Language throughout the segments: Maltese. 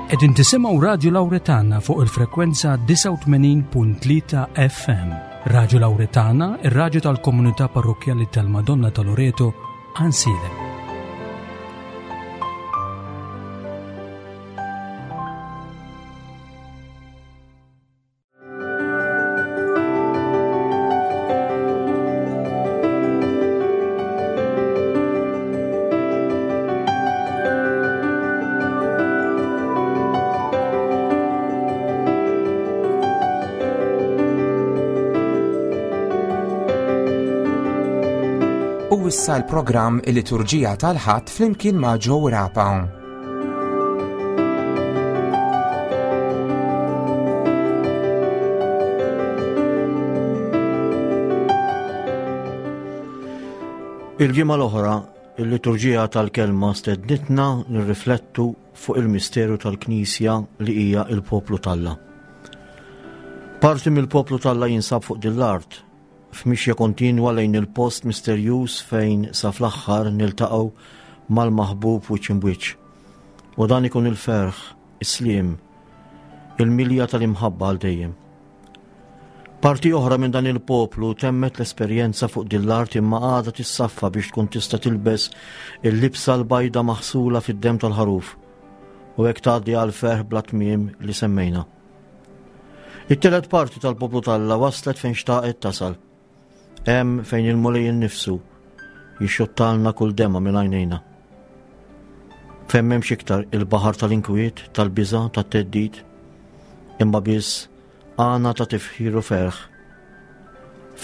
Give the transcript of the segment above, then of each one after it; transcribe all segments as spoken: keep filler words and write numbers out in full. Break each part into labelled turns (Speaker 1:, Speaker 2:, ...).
Speaker 1: Qegħdin tisimgħu Radju Lawretana fuq il-frekwenza disgħa u tmenin punt tlieta F M. Radju Lawretana, ir-radju tal-komunità parrokkjali tal-Madonna ta' Loreto, Għajnsielem.
Speaker 2: U issa l-programm Il-Liturġija tal-Ħadd flimkien ma' Joe Rapa.
Speaker 3: Il-ġimgħa l-oħra, il-liturġija tal-kelma stednitna nirriflettu fuq il-misteru tal-Knisja li hija il-poplu t'Alla. Parti mill-poplu t'Alla jinsab fuq din l-art, f'mixja kontinwa lejn il-post misterjuż fejn sa fl-aħħar niltaqgħu mal-maħbub wiċċ imbwiċċ. U dan ikun il-ferħ, is-sliem, il-milja tal-imħabba għal dejjem. Parti oħra minn dan il-poplu temmet l-esperjenza fuq din l-art imma għadha tissaffa biex tkun tista' tilbes il-libsa l-bajda maħsula fid-demm tal-ħaruf u hekk tgħaddi għal ferħ bla tmiem li semmejna. It-tielet parti tal-poplu t'Alla waslet fejn xtaqet tasal. Hemm fejn il-Mulej innifsu jixxottalna kull demma minn għajnejna. Fejn m'hemmx iktar il-baħar tal-inkwiet, tal-biża', tat-theddid, imma biss għana ta' tifħir u ferħ.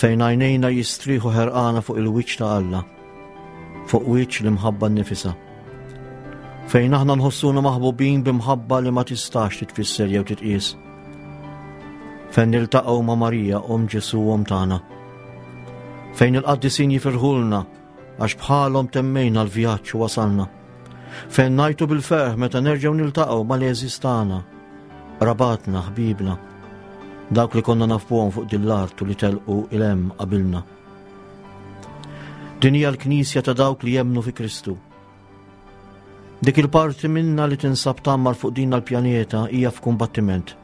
Speaker 3: Fejn għajnejna jistrieħu ħerqana fuq il-wiċċ ta' Alla, fuq wiċċ l-imħabba nnifisha. Fejn aħna nħossuna maħbubin b'imħabba li ma tistax titfisser jew titqies. Fejn niltaqgħu ma' Marija, Omm Ġesù, Omm tagħna. Fejn il-qaddisin jifirħulna għax bħalhom temmejna l-vjaġġ u wasalna. Fejn ngħajtu bil-ferħ meta nerġgħu niltaqgħu mal-għeżież tagħna, qrabatna, ħbibna, dawk li konna nafuhom fuq din l-art u li telqu il-hemm qabilna. Din hija l-Knisja ta' dawk li jemmnu fi Kristu. Dik il-parti minna li tinsab tgħammar fuq din l-pjaneta hija f'kumbattiment,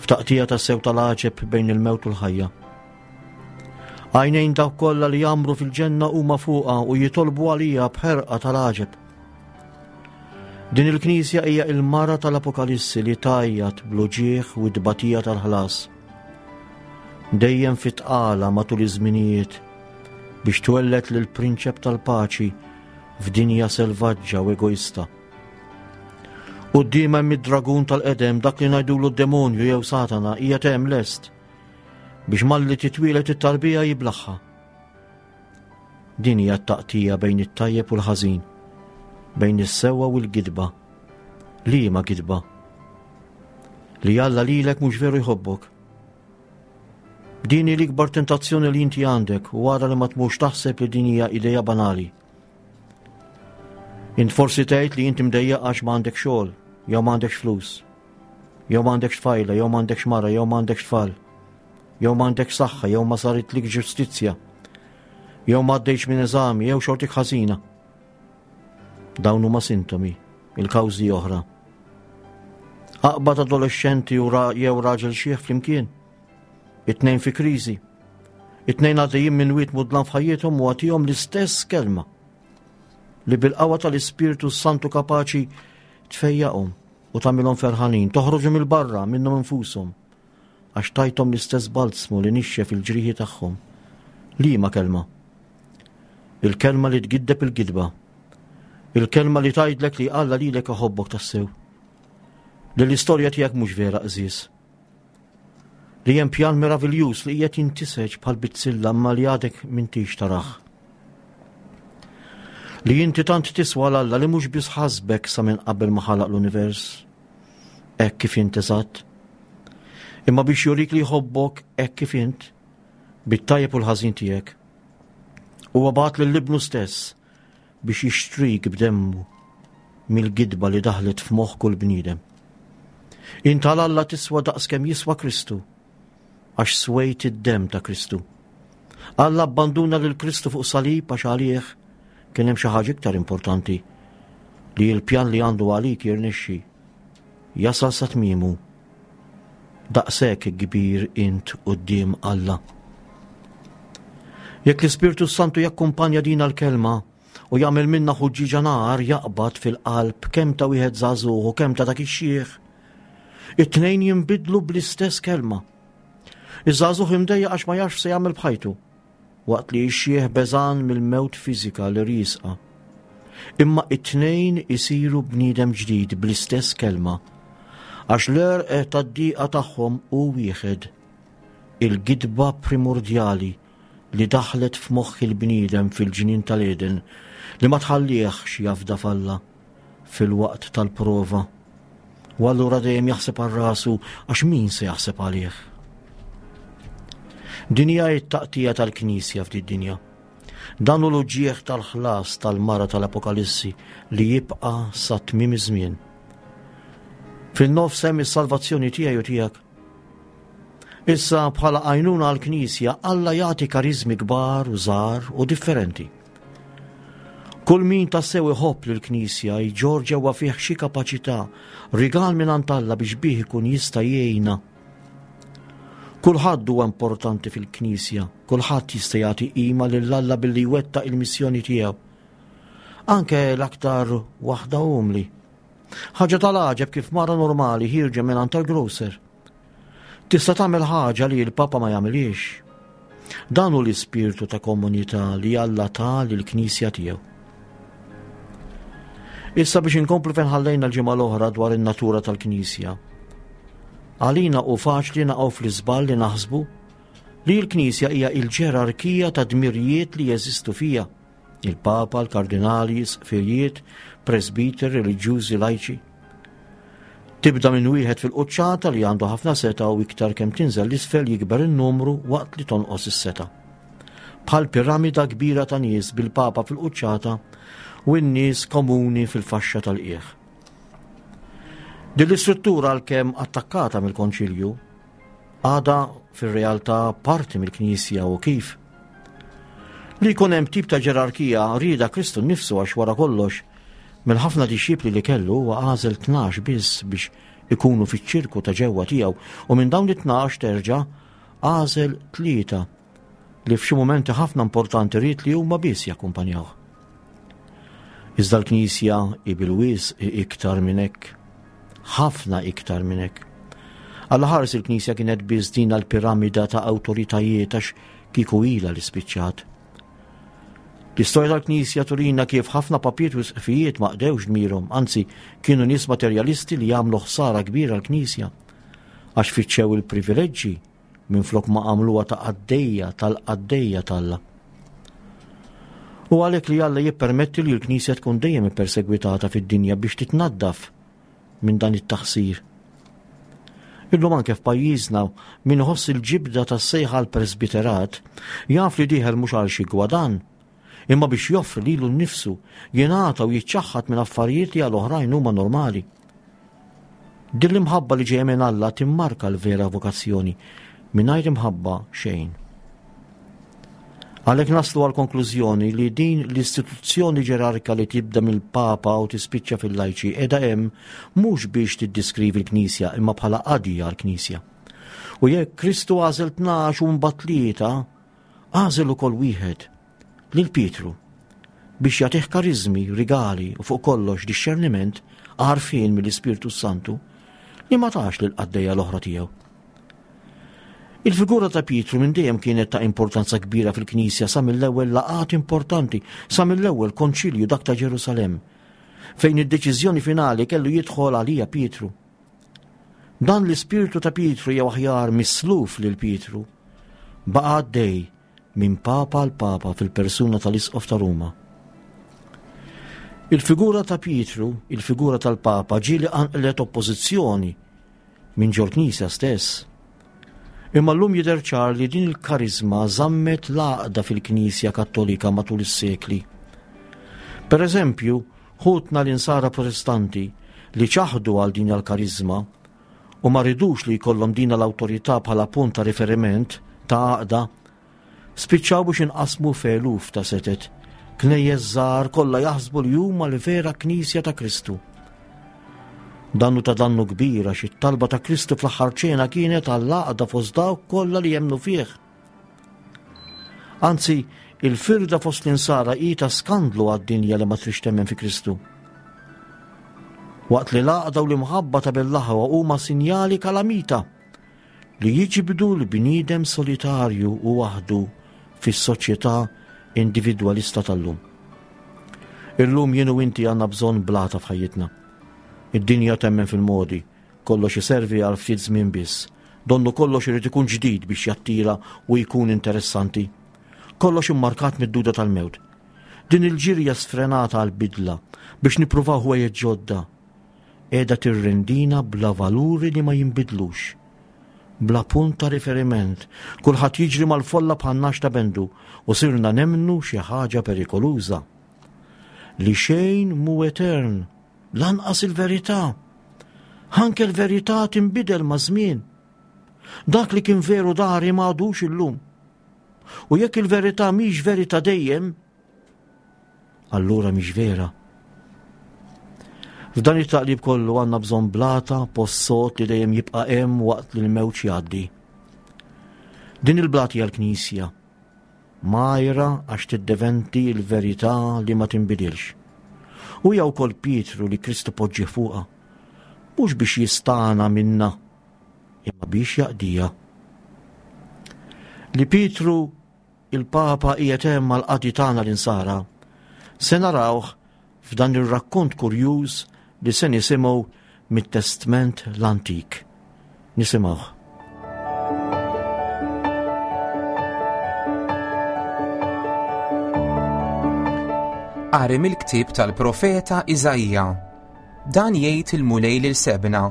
Speaker 3: f'taqtija ta' sew tal-għaġeb bejn il-mewt u l-ħajja. Għajnejn dawk kollha li jgħammru fil-ġenna huma fuqha u jitolbu għalija b'ħerqa tal-għaġeb. Din il-Knisja hija il-mara tal-Apokalissi li tgħajjat bl-uġigħ u t-tbatija tal-ħlas. Dejjem fit-tqala matul iż-żminijiet biex twelled lil prinċep tal-paċi f'dinja selvaġġa u egoista. Quddiem hemm id-dragun tal-qedem, dak li ngħidulu d-demonju jew Satana, hija hemm lest biex malli titwielet it-tarbija jiblaħħa. Din hija t-taqtija bejn it-tajjeb u l-ħażin, bejn is-sewwa u l-gidba. Liema gidba? Li Alla lilek mhux veru jħobbok. Din hi l-ikbar tentazzjoni li inti għandek u wara li ma tmurx taħseb li din hija idea banali. Int forsi tgħid li inti mdejjaq għax ma għandek xogħol, jew ma għandekx flus, jew ma għandekx tfajla, jew ma għandekx mara, jew ma għandekx tfal, jew ma għandekx saħħa, jew ma saritlik ġustizzja, jew ma għaddejx minn eżami, jew xortik ħażina. Dawn huma sintomi, il-kawżi oħra. Aqbad adolescenti u ra-, jew raġel xieħ flimkien, it-tnejn fi kriżi, it-tnejn għaddejjin minn wied mudlam f'ħajjithom u għatihom l-istess kelma li bil-qawwa tal-Ispirtu Santu kapaċi tfejjaqhom u tagħmilhom ferħanin, toħroġu mill-barra minnhom infushom, għax tajthom l-istess balzmu li nixxef il-ġrieħi tagħhom. Liema kelma? Il-kelma li tgiddeb il-gidba. Il-kelma li tgħidlek li Alla lilek iħobbok tassew. Li l-istorja tiegħek mhux vera qżież. Li hemm pjan meraviljuż li qiegħed jintiseġ bħal bizzilla imma li għadek m'intix tarah. Li inti tant tiswa l Alla li mhux biss ħasbek sa minn qabel ma ħalaq l-univers, hekk kif int eżatt, imma biex jurik li jħobbok hekk kif int, bit-tajjeb u l-ħażin tiegħek. Huwa bagħat lil ibnu stess biex jixtrik b'demmu mill-gidba li daħlet f'moħħ kull bniedem. Int għal Alla tiswa daqs kemm jiswa Kristu, għax swejt id-demm ta' Kristu. Alla abbanduna lil Kristu fuq salib għax għalih kien hemm xi ħaġa iktar importanti, li l-pjan li għandu għalik jirnexxi. jasal sa tmiemu. Daqshekk kbir int quddiem Alla. Jekk l-Ispirtu Santu jakkumpanja din l-kelma u jagħmel minna ħuġġiġa nar jaqbad fil-qalb kemm ta' wieħed żagħżugħ u kemm ta' dak ix-xiħ. It-tnejn jinbidlu bl-istess kelma. Iż-żagħżugħ imdejjaq għax ma jafx se jagħmel b'ħajtu, waqt li x-xiħ beżan mill-mewt fiżika li riesqa. Imma it-tnejn isiru bniedem ġdid bl-istess kelma, għax l-għerq tad-diqa tagħhom hu wieħed, il-gidba primordjali li daħlet f'moħħ il-bniedem fil-ġnien tal-Eden li ma tħallihx jafda f'Alla fil-waqt tal-prova. U allura dejjem jaħseb għal rasu għax min se jaħseb għalih. Din hija t-taqtija tal-Knisja f'did-dinja. Dan hu l-uġigħ tal-ħlas tal-mara tal-Apokalissi li jibqa' sa tmiem iż-żmien. Fin-nofs hemm is-salvazzjoni tiegħi u tiegħek. Issa bħala għajnuna għall-Knisja Alla jagħti kariżmi kbar u żgħar u differenti. Kull min tassew iħobb lill-Knisja jġorr ġewwa fih xi kapaċità, rigal minn għand Alla biex bih ikun jista' jgħinna. Kulħadd huwa importanti fil-Knisja, kulħadd jista' jagħti qima lil Alla billi jwettaq il-missjoni tiegħu. Anke l-aktar waħda umli. Ħaġa tal-għaġeb kif mara normali ħierġa minn għand tal-grocer. Tista' tagħmel ħaġa li l-Papa ma jagħmilhiex. Dan hu l-ispirtu ta' komunità li Alla ta lill-Knisja tiegħu. Issa biex inkomplu fejn ħallejna l-ġimgħa l-oħra dwar in-natura tal-Knisja. Għalina hu faċli naqgħu fl-iżball li naħsbu li l-Knisja hija l-ġerarkija ta' dmirijiet li jeżistu fija. Il-Papa, l-Kardinali, isqfijiet, presbiteri, reliġjużi, lajċi. Tibda minn wieħed fil-quċċata li għandu ħafna seta' u iktar kemm tinżel l-isfel jikber in-numru waqt li tonqos is-seta'. Bħal piramida kbira ta' nies bil-Papa fil-quċċata u n-nies komuni fil-faxxa tal-qiegħ. Din l-istruttura għalkemm attakkata mill-Konċilju għadha fir-realtà parti mill-Knisja u kif. Li jkun hemm tip ta' ġerarkija rieda Kristu nnifsu għax wara kollox mill-ħafna dixxipli li kellu huwa għażel tnax biss biex ikunu fiċ-ċirku ta' ġewwa tiegħu u minn dawn it-tnax terġa' għażel tlieta li f'xi mumenti ħafna importanti ried li huma biss jakkumpanjawh. Iżda l-Knisja hi bil-wisq iktar minn hekk, ħafna iktar minn hekk. Alla ħares il-Knisja kienet biss din l-piramida ta' awtoritajiet għax kieku ilha li spiċċat. L-istorja tal-Knisja turina kif ħafna papiet u isqfijiet ma qdewx dmirhom, anzi kienu nies materjalisti li jagħmlu ħsara kbira l-Knisja għax fittxew il-privileġġi minflok ma għamluha ta' qaddejja tal-qaddejja t'Alla. U għalhekk li Alla jippermetti li l-Knisja tkun dejjem ippersegwitata fid-dinja biex titnaddaf minn dan it-taħsir. Illum anke f'pajjiżna min iħoss il-ġibda tas-sejħa għall-presbiterat jaf li dieħel mhux għal xi gwadan, imma biex joffri lilu nnifsu, jingħata u jiċċaħħad minn affarijiet li għal oħrajn huma normali. Din l-imħabba li ġejja minn Alla timmarka l-vera vokazzjoni, mingħajr imħabba xejn. Għalhekk naslu għal konklużjoni li din l-istituzzjoni ġerarka li tibda mill-Papa u tispiċċa fil-lajċi qiegħda hemm mhux biex tiddiskrivi l-Knisja imma bħala qadi għall-Knisja. U jekk Kristu għażel tnax u mbagħad tlieta, għażel ukoll wieħed, lil Pietru, biex jagħtih kariżmi, rigali u fuq kollox dixxerniment għarfien mill-Ispirtu Santu li ma tax lil qaddejja l-oħra tiegħu. Il-figura ta' Pietru minn dejjem kienet ta' importanza kbira fil-Knisja sa mill-ewwel laqgħat importanti, sa mill-ewwel konċilju dak ta' Ġerusalemm, fejn id-deċiżjoni finali kellu jidħol għalija Pietru. Dan l-ispirtu ta' Pietru jew aħjar misluf lil Pietru baqa' għaddej minn Papa għal Papa fil-persuna tal-Isqof ta' Ruma. Il-figura ta' Pietru, il-figura tal-Papa, ġieli qanqlet oppożizzjoni minn ġol-Knisja stess. Imma llum jidher ċar li din il-karizma żammet l-għaqda fil-Knisja Kattolika matul is-sekli. Per eżempju, ħutna l-insara protestanti li ċaħdu għal din il-karizma u ma ridux li jkollhom din l-awtorità bħala punt ta' riferiment ta' għaqda, spiċċaw biex inqasmu f'eluf ta' setet, knejjes żgħar kollha jaħsbu li huma l-vera Knisja ta' Kristu. Dannu ta' dannu kbir għax it-talba ta' Kristu fl-aħħar ċena kienet għall-għaqda fost dawk kollha li jemmnu fih. Anzi, il-firda fost l-insara hi ta' skandlu għad-dinja li ma trix temmen fi Kristu. Waqt li l-għaqda u l-imħabba ta' bil-laħwa huma sinjali kalamita li jiġbdu l-bniedem solitarju u waħdu fis-soċjetà individwalista tal-lum. Illum jien u inti għandna bżonn blata f'ħajjitna. Id-dinja temmen fil-modi, kollox iservi għal ftit żmien biss. Donnu kollox irid ikun ġdid biex jattira u jkun interessanti. Kollox immarkat mid-duda tal-mewt. Din il-ġirja sfrenata għal-bidla biex nippruvaw ħwejjeġ ġodda. Qiegħda tirrendina bla valuri li ma jinbidlux. Bla punt ta' riferiment, kulħadd jiġri mal-folla bħan-nax ta' bendu u sirna nemnu xi ħaġa perikoluża. Li xejn mhu etern, lanqas il-verità. Anke l-verità tinbidel ma' żmien. Dak li kien veru dari ma għadux illum. U jekk il-verità mhix verità dejjem, allura mhix vera. F'dan it-taqlib kollu għandna bżonn blata post sod li dejjem jibqa' hemm waqt li l-mewġ jgħaddi. Din il-blata hija l-Knisja, majra għax tiddeventi l-verità li ma tinbidilx. U hija wkoll Pietru li Kristu poġġi fuqha, mhux biex jistana minna, imma biex jaqdija. Li Pietru il-Papa qiegħed hemm għall-qadi tagħna l-insara, se narawh f'dan ir-rakkont kurjuż li se nisimgħu mit-Testment l-Antik. Nisimgħuh.
Speaker 2: Qari mill-ktieb tal-profeta Iżaija. Dan jgħid il-Mulej lil Sebna,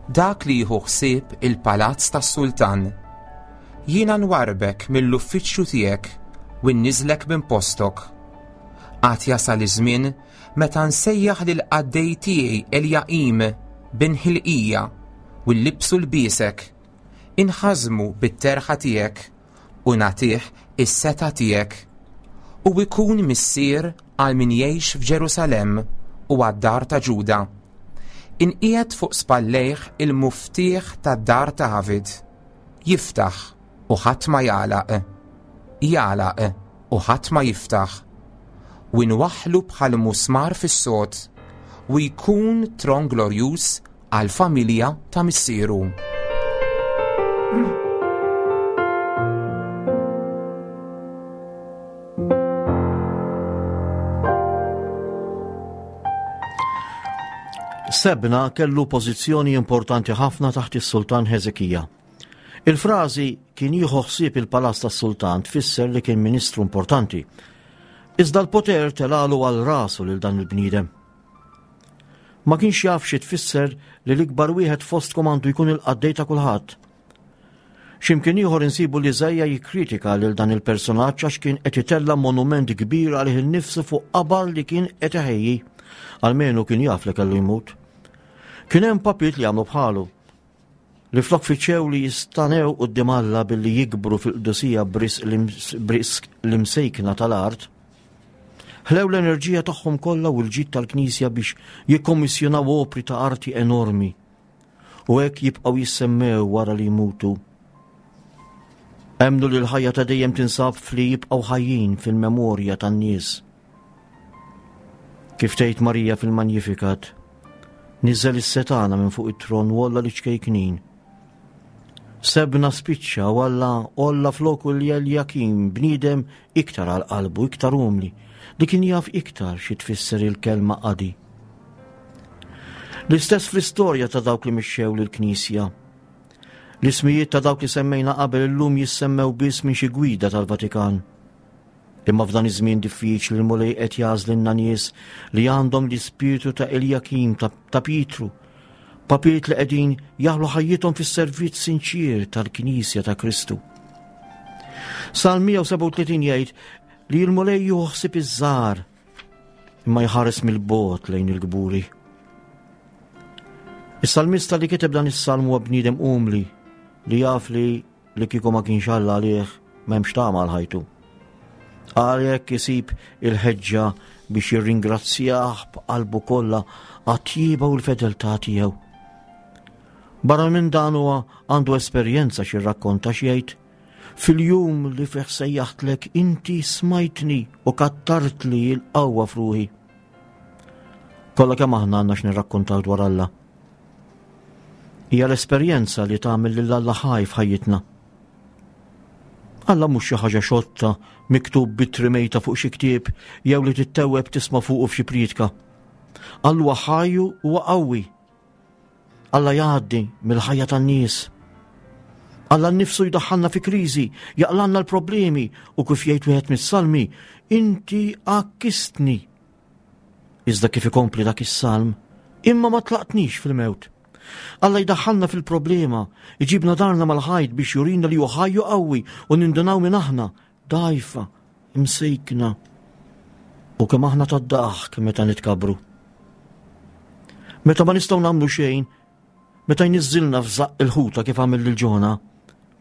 Speaker 2: dak li jieħu ħsieb il-palazz tas-sultan. Jiena nwarbek mill-uffiċċju tiegħek u nniżlek minn postok. Għad jasal iż-żmien meta nsejjaħ lil qaddej tiegħi Eljaqim bin Ħilqija u llibsu lbiesek, inħażmu bit-terħa tiegħek u nagħtih is-setgħa tiegħek. U jkun missier għal min jgħix f'Ġerusalemm u għad-dar ta' Ġuda. Inqiegħed fuq spallejh il-muftieħ tad-dar ta' David. Jiftaħ u ħadd ma jagħlaq, jagħlaq u ħadd ma jiftaħ. U nwaħħlu bħal musmar fis-sod u jkun tron glorjuż għall-familja ta' missieru.
Speaker 3: Sebna kellu pożizzjoni importanti ħafna taħt is-Sultan Heżekija. Il-frażi kien jieħu ħsieb il-palazz tas-sultan tfisser li kien ministru importanti. Iżda l-poter telalu għal rasu lil dan il-bniedem. Ma kienx jaf xi tfisser li l-ikbar wieħed fostkom għandu jkun il-qaddej ta' kulħadd. X'imkien ieħor insibu li Iżaija jikkritika lil dan il-personaġġ għax kien qed itella' monument kbir għalih innifsu fuq qabar li kien qed iħejji. Almenu kien jaf li kellu jmut. Kien hemm papiet li għamlu bħalu, li flok fiċew li jistanew quddiem Alla billi jikbru fil-qdusija b'risq l-imsejkna tal-art, ħlew l-enerġija tagħhom kollha u l-ġid tal-Knisja biex jikkommissjonaw opri ta' arti enormi u hekk jibqgħu jissemmew wara li jmutu. Emmnu li l-ħajja ta' dejjem tinsab fli jibqgħu ħajjin fil-memorja tan-nies. Kif tgħid Marija fil-Magnificat, niżel is-setana minn fuq it-tron u olla li ċkejknin. Sebna spiċċa u Alla olla floku li Eljakim, bniedem iktar għal qalbu, iktar umli, li kien jaf iktar xi tfisser il-kelma qadi. L-istess fl-istorja ta' dawk li mixxew lill-Knisja. L-ismijiet ta' dawk li semmejna qabel illum jissemmew biss minn xi gwida tal-Vatikan. Imma f'dan iż-żmien diffiċli l-Mulej qed jagħżlilna nies li għandhom l-ispirtu ta' Eljakim, ta', ta' Pietru, papiet li qegħdin jaħlu ħajjithom fis-servizz sinċier tal-Knisja ta' Kristu. Salm mija u sebgħa u tletin jgħid li l-Mulej juħsib iż-żgħar imma jħares mill-bogħod lejn il-kburi. Is-salmista li kiteb dan is-salm huwa bniedem umli li jaf li li kieku ma kienx Alla għalih m'hemmx tama għal ħajtu. Għalhekk isib il-ħeġġa biex jirringrazzjah b'qalbu kollha għat-tjieba u l-fedeltà tiegħu. Barra minn dan huwa għandu esperjenza x'irrakkonta x'jgħid. Fil-jum li fih sejjaħtlek inti smajtni u kattartli l-qawwa f'ruħi. Kollha kemm aħna għandna x'nirrakkontaw dwar Alla. Hija l-esperjenza li tagħmel lil Alla ħaj f'ħajjitna. Alla mhux xi ħaġa xotta miktub b'ittri mejta fuq xi ktieb jew li tittewweb tisma' fuqu f'xi prietka. Alla huwa ħaj u huwa qawwi. Alla jgħaddi mill-ħajja tan-nies. Alla nnifsu jdaħħalna fi kriżi, jaqlanna l-problemi u kif jgħid wieħed mis-salmi, inti għakkistni. Iżda kif ikompli dak is-salm, imma ma tlaqtnix fil-mewt. Alla jdaħħalna fil-problema, iġibna darna mal-ħajt biex jurina li hu ħaj u qawwi u nindunaw minn aħna, dgħajfa, imsejkna. U kemm aħna tad-daħk meta nitkabru. Meta ma nistgħu nagħmlu xejn, meta jniżżilna f'żaqq il-ħuta kif għamel lil Ġona,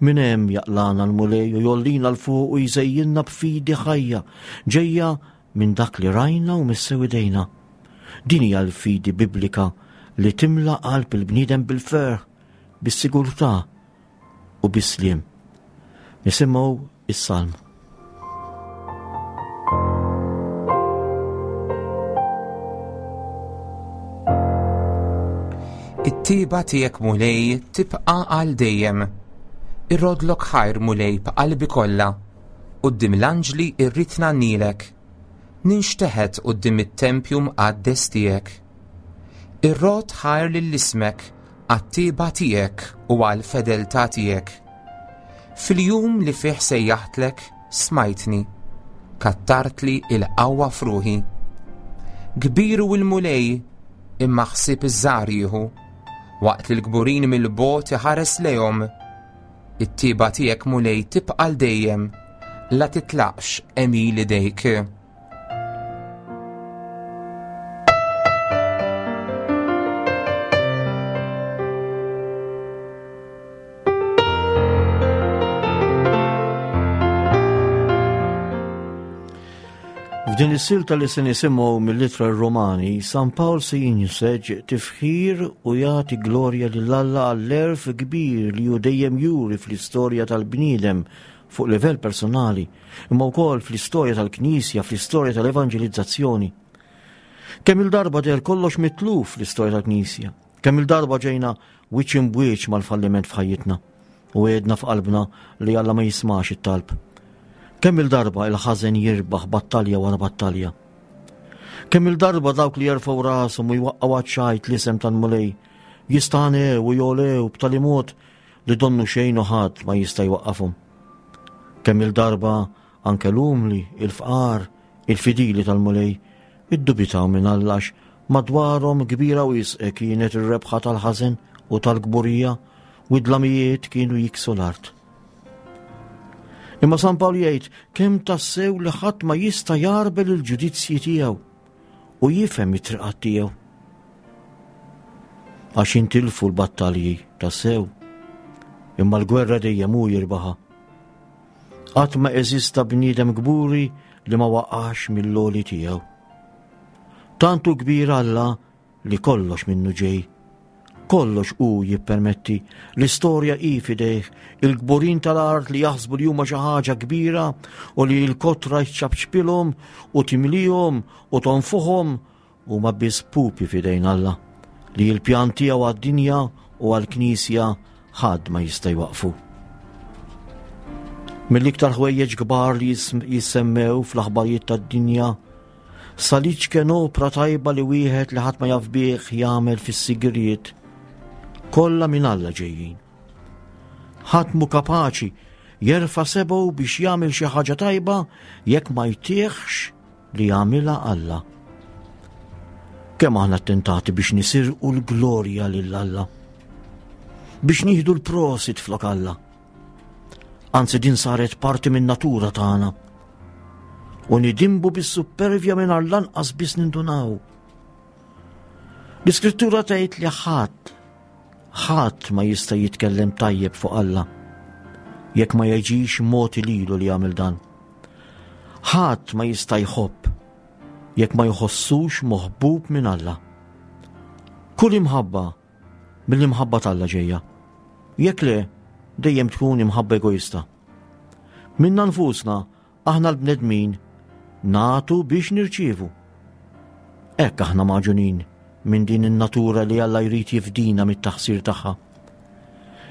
Speaker 3: minn hemm jaqlana l-Mulej u jollina 'l fuq u jżejjinna b'fidi ħajja, ġejja minn dak li rajna u missew idejna. Din hija l-fidi biblika li timla qalb il-bniedem bil-ferħ, bis-sigurtà u bis-sliem. Nisimgħu is-salm.
Speaker 2: It-tiba tiegħek Mulej tibqa' għal dejjem. Irrodlok ħajr Mulej b'qalbi kollha. Quddiem l-anġli irrid ngħannilek. Ninxteħet quddiem it-tempju mqaddes tiegħek. Irrod ħajr lil ismek għat-tiba tiegħek u għall-fedeltà tiegħek. Fil-jum li fih sejjaħtlek smajtni, kattartli il-qawwa f'ruħi. Kbir hu l-Mulej imma ħsieb iż-żgħar jieħu, waqt li l-kburin mill-bogħod iħares lejhom. It-tiba tiegħek Mulej tibqa' għal dejjem, la titlaqx għemil idejk.
Speaker 3: F'din is-silta li se nisimgħu mill-ittra Romani, San Pawl se jinseġ tifħir u jagħti glorja lil Alla għall-għerf kbir li hu dejjem juri fl-istorja tal-bniedem fuq livell personali, imma wkoll fl-istorja tal-Knisja, fl-istorja tal-evanġelizzazzjoni. Kemm il-darba deher kollox mitluf fl-istorja tal-Knisja, kemm il-darba ġejna wiċċ imbwiċ mal-falliment f'ħajjitna u għedna f'qalbna li Alla ma jismax it-talb. Kemm il-darba il-ħażen jirbaħ battalja wara battalja. Kemm il-darba dawk li jerfgħu rashom u jwaqqgħu għaċ-ċajt l-isem tal-Mulej jistanew u jolew b'tali mod li donnu xejn u ħadd ma jista' jwaqqafhom. Kemm il-darba anke l-umli, il-fqar, il-fidili tal-Mulej iddubitaw minn Alla għax madwarhom kbira wisq kienet ir-rebħa tal-ħażen u tal-kburija u d-dlamijiet kienu jiksu l-art. Imma San Pawl jgħid kemm tassew li ħadd ma jista' jarbel il-ġudizzji tiegħu u jifhem it-triqat tiegħu. Għax intilfu l-battalji tassew, imma l-gwerra dejjem hu jirbaħha. Qatt ma eżista bniedem kburi li ma waqax mill-għoli tiegħu. Tant hu kbir Alla li kollox minnu ġej. Kollox hu jippermetti, l-istorja hi f'idejh, il-kburin tal-art li jaħsbu li huma xi ħaġa kbira u li l-kotra jċabċbilhom u timlihom u tonfuhom huma biss pupi f'idejn Alla li l-pjan tiegħu għad-dinja u għall-Knisja ħadd ma jista' jwaqfu. Mill-iktar ħwejjeġ kbar li jis-, jissemmew fl-aħbarijiet tad-dinja, sal-iċken opra tajba li wieħed li ħadd ma jaf bih jagħmel fis-sigriet, kollha minn Alla ġejjin. Ħadd mhu kapaċi jerfa' sebgħu biex jagħmel xi ħaġa tajba jekk ma jtieħx li jagħmilha Alla. Kemm aħna attentati biex nisirqu l-glorja lil Alla, biex nieħdu l-prosit flok Alla. Anzi din saret parti minn natura tagħna. U nidimbu bis-supervja mingħajr lanqas biss nindunaw. L-Iskrittura tgħid li ħadd, ħadd ma jista' jitkellem tajjeb fuq Alla jekk ma jiġix mogħti lilu li jagħmel dan. Ħadd ma jista' jħobb jekk ma jħossux moħbub minn Alla. Kull imħabba mill-imħabba t'Alla ġejja. Jekk le, dejjem tkun imħabba egoista. Minna nfusna, aħna l-bnedmin nagħtu biex nirċievu. Hekk aħna magħġunin minn din in-natura li Alla jrid jifdina mit-taħsir tagħha.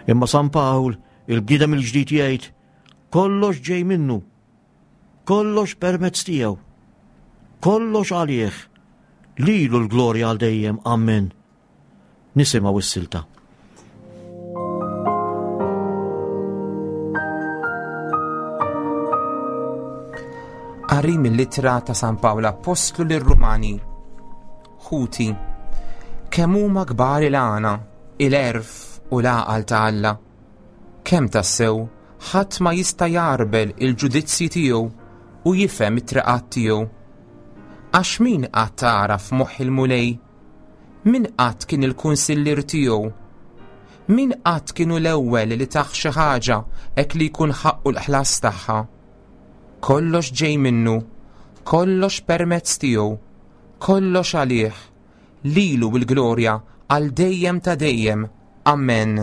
Speaker 3: Imma San Pawl, il-bniedem il-ġdid jgħid, kollox ġej minnu, kollox permezz tiegħu, kollox għalih, lilu l-glorja għal dejjem, amen. Nisimgħu s-silta.
Speaker 2: Qari mill-ittra ta' San Pawl Appostlu lir-Rumani. Ħuti, kemm huma kbar il-għana, il-għerf u l-għaqal ta' Alla. Kemm tassew ħadd ma jista' jarbel il-ġudizzji tiegħu u jifhem it-triqat tiegħu. Għax min qatt għaraf moħħ il-Mulej? Min qatt kien il-kunsillier tiegħu? Min qatt kienu l-ewwel li tah xi ħaġa hekk li jkun ħaqqu l-ħlas tagħha? Kollox ġej minnu, kollox permezz tiegħu, kollox għalih, lilu l-glorja għal dejjem ta' dejjem. Amen.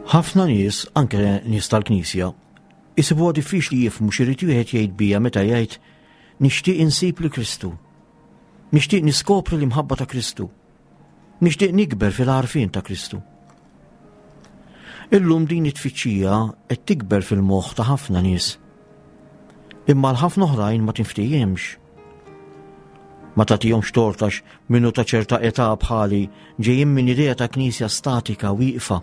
Speaker 3: Ħafna nies, anke nies tal-Knisja, isibuha diffiċli jifhmu x'irid wieħed jgħid bija meta jgħid nixtieq insib li Kristu. Nixtieq niskopri l-imħabba ta' Kristu. Nixtieq nikber fil-għarfien ta' Kristu. Illum din it-tfittxija qed tikber fil-moħħ ta' ħafna nies. Imma l-ħafna oħrajn ma tinftihimx. Ma tagħtihomx tortax minnu ta' ċerta età bħali ġejjin minn idea ta' knisja statika wieqfa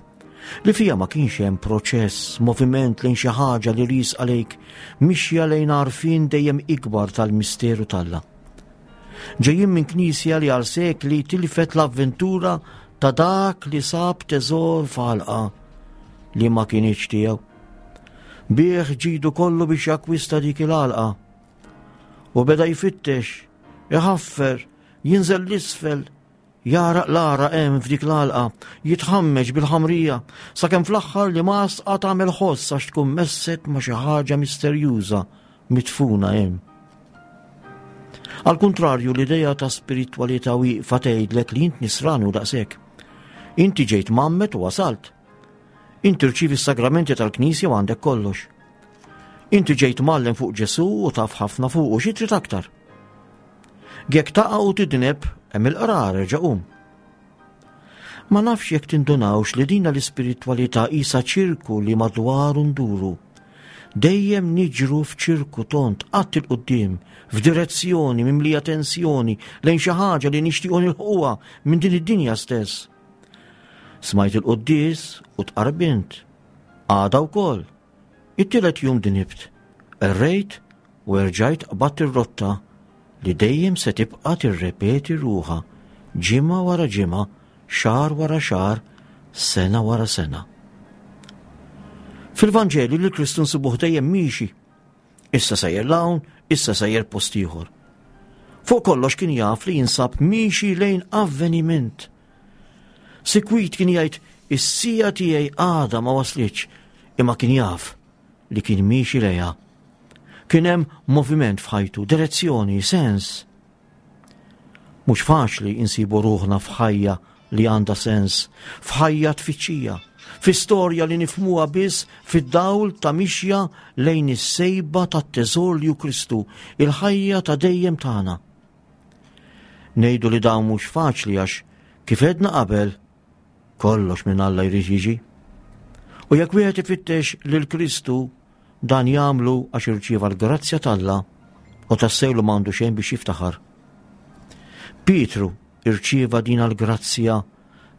Speaker 3: li fija ma kienx hemm proċess, moviment lejn xi ħaġa li riesqa lejk, mixja lejn għarfien dejjem ikbar tal-misteru t'Alla. Ġejjin minn knisja li għal sekli tilfet l-avventura ta' dak li sab teżor f'għalqa li ma kienx tiegħu. Bih ġidu kollu biex jakkwista dik il-għalqa. U beda jfittex, iħaffer, jinżel l-isfel, jaraq l-għaraq hemm f'dik l-għalqa, jitħammeġ bil-ħamrija, sakemm fl-aħħar li masqa tagħmel ħoss għax tkun messet ma' xi ħaġa misterjuża mitfuna hemm. Al kontrarju, l-idea ta' spiritwalità wieqfa tgħidlek li int nisrani u daqshekk. Inti ġejt mgħammed u wasalt. Inti rċivi s-sagramenti tal-Knisja u għandek kollox. Inti ġejt mgħallem fuq Ġesù u taf ħafna fuq u xi trid aktar. Jekk taqa' u tidneb, hemm il-qrar erġa' qum. Ma nafx jekk tindunawx li dina l-ispiritwalità qisha ċirku li madwaru nduru. Dejjem niġru f'ċirku tont, qatt 'il quddiem, f'direzzjoni mimlija tensjoni lejn xi ħaġa li nixtiequ nilħquha minn din id-dinja stess. Smajt il-quddies u tqarbint. Għada wkoll. It-tielet jum dinibt. Errejt u erġajt qbadt ir-rotta li dejjem se tibqa' tirrepeti ruħha ġimgħa wara ġimgħa, xahar wara xahar, sena wara sena. Fil-Vanġeli li Kristu nsibuh dejjem miexi. Issa sejjer l-hawn, issa sejjer post ieħor. Fuq kollox kien jaf li jinsab miexi lejn avveniment. Sikwit kien jgħid is-sija tiegħi għadha ma waslitx, imma kien jaf li kien miexi lejha. Kien hemm moviment f'ħajtu, direzzjoni, sens. Mhux faċli insibu ruħna f'ħajja li għandha sens, f'ħajja tfittxija, fi storja li nifhmuha biss fid-dawl ta' mixja lejn is-sejba tat-teżor li hu Kristu, il-ħajja ta' dejjem tagħna. Ngħidu li dawn mhux faċli għax kif għedna qabel, kollox minn Alla jrid jiġi. U jekk wieħed ifittex lil Kristu, dan jagħmlu għax irċieva l-grazzja t'Alla u tassewlu m'għandu xejn biex jiftaħar. Pietru irċieva din l-grazzja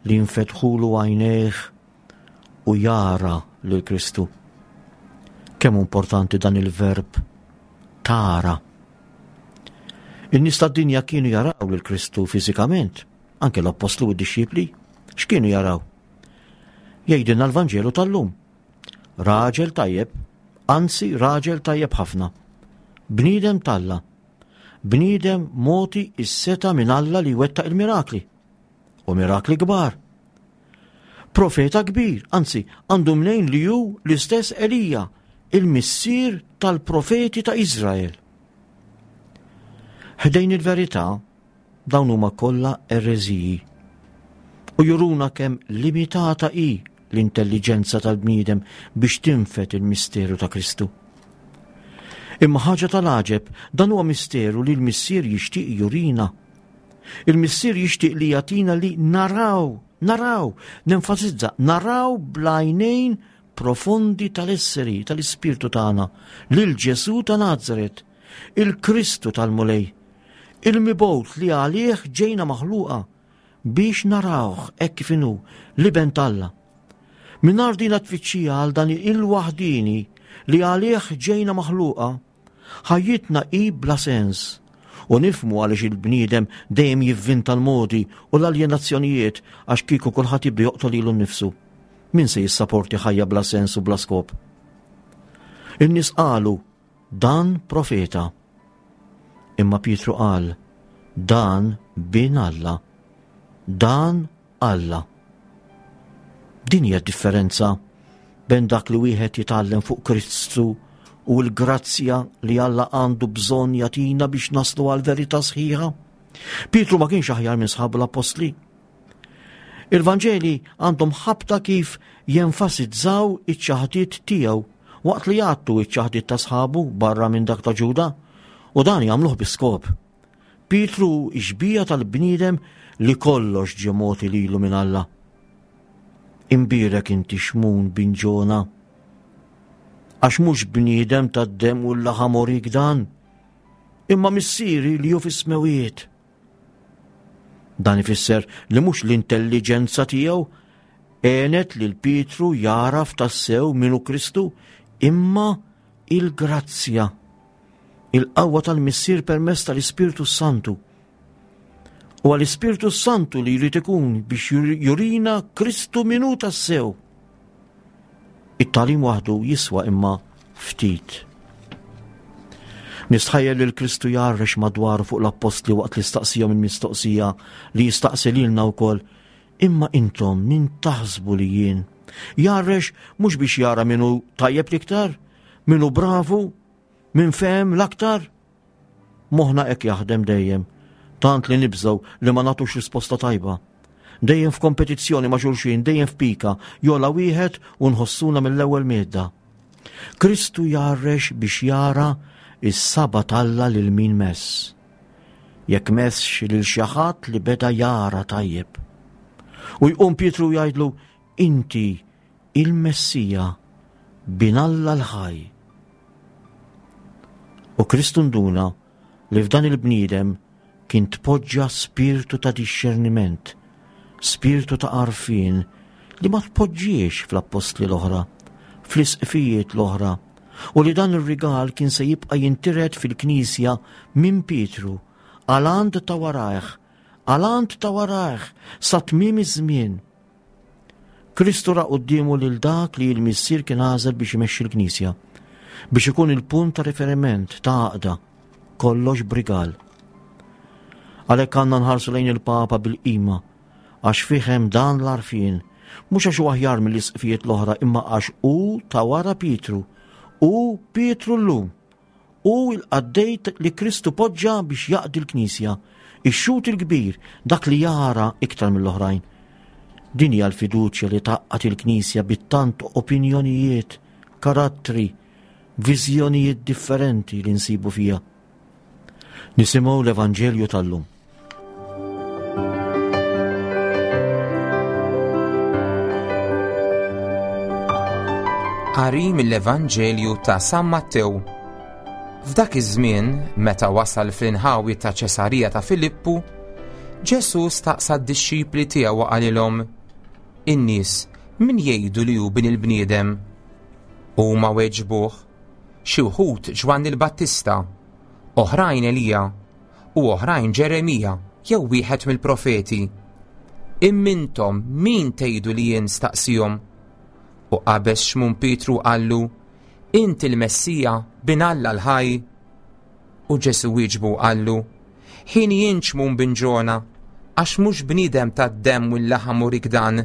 Speaker 3: li nfetħulu għajnejh u jara lil Kristu. Kemm importanti dan il-verb tara. In-nies tad-dinja kienu jaraw lil Kristu fiżikament, anke l-appostlu u d-dixxipli, x'kienu jaraw? Jgħidilna l-Vanġelu tal-lum. Raġel tajjeb, anzi raġel tajjeb ħafna. Bniedem t'Alla. Bniedem moti is-seta minn Alla li wettaq il-mirakli. U mirakli kbar. Profeta kbir, anzi, għandu mnejn li hu l-istess Elija, il-missier tal-profeti ta' Izrael. Ħdejn il-verità, dawn huma kollha ereżiji u juruna kemm limitata hi l-intelliġenza tal-bniedem biex tinfed il-misteru ta' Kristu. Imma ħaġa tal-għaġeb, dan huwa misteru li l-missier jixtieq jurina. Il-missier jixtieq li jagħtina li naraw, naraw, nenfasizza, naraw bl-għajnejn profondi tal-esseri, tal-ispirtu tagħna, lil Ġesù ta' Nazaret, il-Kristu tal-Mulej, il-mibgħut li għalih ġejna maħluqa biex narawh hekk kif inhu l-Iben t'Alla. Mingħajr din tfittxija għal dan il-waħdini li għalih ġejna maħluqa, ħajjitna hi bla sens. U nifhmu għaliex il-bniedem dejjem jivvinta l-modi u l-aljenazzjonijiet għax kieku kulħadd jibda joqtol lilu nnifsu. Min se jissaporti ħajja bla sens u bla skop? In-nies qalu, dan profeta. Imma Pietru qal, dan bin Alla. Dan Alla. Din hija differenza bejn dak li wieħed jitgħallem fuq Kristu u l-grazzja li Alla għandu bżonn jagħtina biex naslu għal verità sħiħa. Pietru ma kienx aħjar minn sħabu l-appostli. Il-Vanġeli għandhom ħabta kif jenfasizzaw iċ-ċaħdiet tiegħu waqt li jgħattu iċ-ċaħdiet ta' sħabu barra minn dak ta' Ġuda, u dan jagħmluh bi skop. Pietru xbieha tal-bniedem li kollox ġie mogħti lilu minn Alla. Imbierek inti Xmun bin Ġona, għax mhux bniedem tad-demm u l-laħam urik dan, imma missieri li hu fis-smewiet. Dan ifisser li mhux l-intelliġenza tiegħu għenet lil Pietru jaraf tassew min hu Kristu, imma il-grazzja, il-qawwa tal-Missier permezz tal-Ispirtu Santu. U għall-Ispirtu Santu li jrid ikun biex jurina Kristu min hu tassew. It-tagħlim waħdu jiswa imma ftit. Nistħajjel li l-Kristu jgħarrex madwaru fuq l-appostli waqt li staqsihom il-mistoqsija li jistaqsi lilna wkoll, imma intom min taħsbu li jien? Jgħarrex mhux biex jara min hu tajjeb l-iktar, min hu bravu, min fehem l-aktar. Moħħna hekk jaħdem dejjem, tant li nibżgħu li ma nagħtux risposta tajba. Dejjem f'kompetizzjoni ma' xulxin, dejjem f'pika, jola wieħed u nħossuna mill-ewwel medda. Kristu jgħarrex biex jara is-saba t'Alla lil min mess. Jekk messx lil xi ħadd li beda jara tajjeb. U jqum Pietru jgħidlu, inti il-Messija, bin Alla l-ħaj. U Kristu nduna li f'dan il-bniedem kien tpoġġa spirtu ta' dixxerniment, spirtu ta' għarfien li ma tpoġġiex fl-appostli l-oħra, fl-isqfijiet l-oħra, u li dan ir-rigal kien se jibqa' jintiret fil-Knisja minn Pietru għal għand ta' warajh, għal għand ta' warajh sa tmiem iż-żmien. Kristu ra quddiemu lil dak li l-Missier kien għażel biex imexxi l-Knisja, biex ikun il-punt ta' riferiment ta' għaqda, kollox b'rigal. Għalhekk għandna nħarsu lejn il-Papa bil-qima, għax fih hemm dan l-għarfien, mhux għax hu aħjar mill-isqfijiet l-oħra, imma għax hu ta' wara Pietru, hu Pietru llum, hu l-qaddej li Kristu poġġa biex jaqdi l-Knisja, ix-xhud il-kbir, dak li jara iktar mill-oħrajn. Din hija l-fiduċja li tgħaqqad il-Knisja bit-tant opinjonijiet, karattri, viżjonijiet differenti li nsibu fiha. Nisimgħu l-Evanġelju tal-lum.
Speaker 2: Qari mill-Evanġelju ta' San Mattew. F'dak iż-żmien, meta wasal fl-inħawi ta' Ċesarija ta' Filippu, Ġesù staqsa d-dixxipli tiegħu u qalilhom, In-nies min jgħidu li hu bin il-bniedem? Huma weġbuh, xi wħud Ġwanni l-Battista, oħrajn Elija, u oħrajn Ġeremija jew wieħed mill-profeti. Imma intom min tgħidu li jien staqsihom? U qabeż Xmun Pietru qallu, Inti l-Messija, bin Alla l-ħaj. U Ġesù wieġbu qallu, Ħin jien Xmun bin Ġona, Għax mhux bniedem tad-demm u l-laħam urik dan,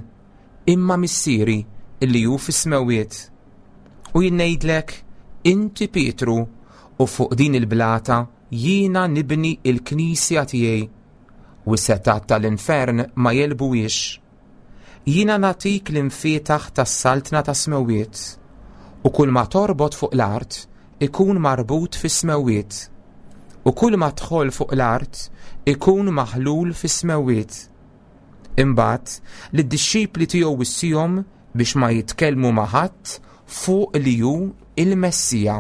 Speaker 2: imma Missieri illi hu fis-smewwiet. U jien ngħidlek, inti Pietru, u fuq din il-blata jiena nibni il-knisja tiegħi, u s-setgħat tal-infern ma jegħlbuhiex. Jiena nagħtik l-imfietaħ tas-saltna tas-smewwiet, u kull ma torbot fuq l-art ikun marbut fis-smewwiet, u kull ma tħoll fuq l-art ikun maħlul fis-smewwiet. Imbagħad lid-dixxipli tiegħu wissihom biex ma jitkellmu ma' ħadd fuq li hu il-Messija.